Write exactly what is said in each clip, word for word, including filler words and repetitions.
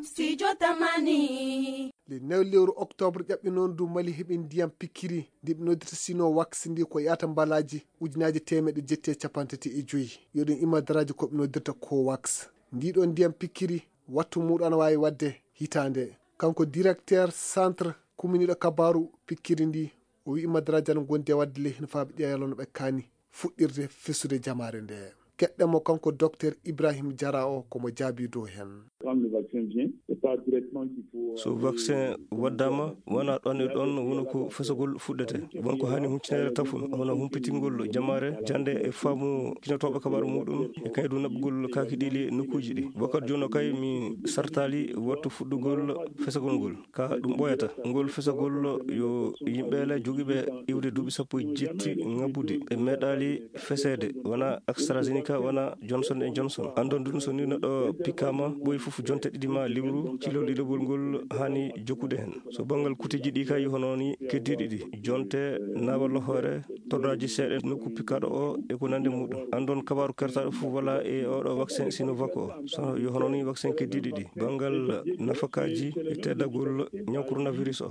Studio Tamani. Le nayo lewru octobre ƴaɓɓi noon du Mali heɓi ndiyam pikkiri ndi ɓe noddirta Sinovax ndi ko yaata mbalaaji ujunaaji teemeɗe jetti e capanɗe tati e joyi. Yo ɗum imma daraaji ko ɓe noddirta Covax. Ndi ɗo ndiyam pikkiri wattu muɗum ana waawi waɗde hitaande. Kanko directeur centre kuminiiɗo kabaaru pikkiri ndi, o wi'i madaraaji ana ngondi e waɗde ley hino faabi ɗiya yalano ɓe kaani fuɗɗirde fesude jamaare nde. Keɗɗen mo kanko Docteur Ibrahim Jara o ko mo jaabi dow heen. Quand le vaccin vient, c'est pas directement qu'il faut So vaccin waddama wona ɗon e ɗon woni ko fesagol fuɗɗete. Won ko hani huncinaare tafun, hono humpitingol jamaare jande e faamu kinotooɓe kabaaru muɗum e kaydu naɓugol kaaki ɗiili e nokkuuji ɗi. Wakkati jono kay mi sartaali wattu fuɗɗugol fesagol ngol. Ka ɗum ɓooyata. Ngol fesagol yo yimɓe le jogiiɓe iwde duuɓi sappo e jetti ŋabbude. Ɓe meeɗaali feseede, wona AstraZeneca, wona Johnson and Johnson. Anndon ɗum so ni neɗɗo pikkaama, ɓooyi fof jonte ɗiɗi ma lewru, cilol ɗiɗaɓol ngol haani jokkude heen. So banngal kuteeji ɗi kay, hono ni keddiiɗi ɗi, jonte, naawal hoore, tordaaji seeɗa nokku pikkaaɗo o e ko nanndi muɗum. Anndon kabaaru kertaaɗo fof wala e oɗo vaccin Sinovac o. So yo hono ni vaccin keddiiɗi ɗi, banngal nafakaaji e teddagol ñaw coronavirus o.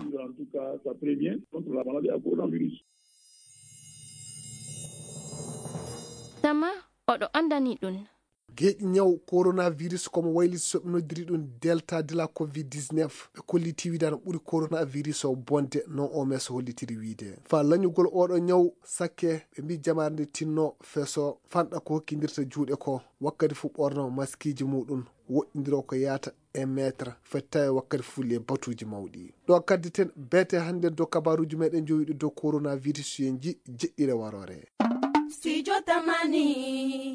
Tama oɗo anndani ɗum. Geeƴi ñaw coronavirus komo wayliti so ɓe noddiri ɗum Delta de la covid dix-neuf. Ɓe kolliti wiide ana ɓuri coronavirus o bonde, no O M S hollitiri wiide. Fa lañugol oɗo ñaw sakke, ɓe mbi jamaare nde tinno feso fanɗa ko hokkindirta juuɗe ko. Wakkati fu ɓorno maskiiji muɗum, woɗɗindiro ko yaata e meetre, foti tawi wakkati fu le batuuji mawɗi. Ɗo kadditen beete hannde dow kabaaruuji meɗen jowiɗo dow coronavirus, yo en ji jeɗɗire waroore. Studio Tamani.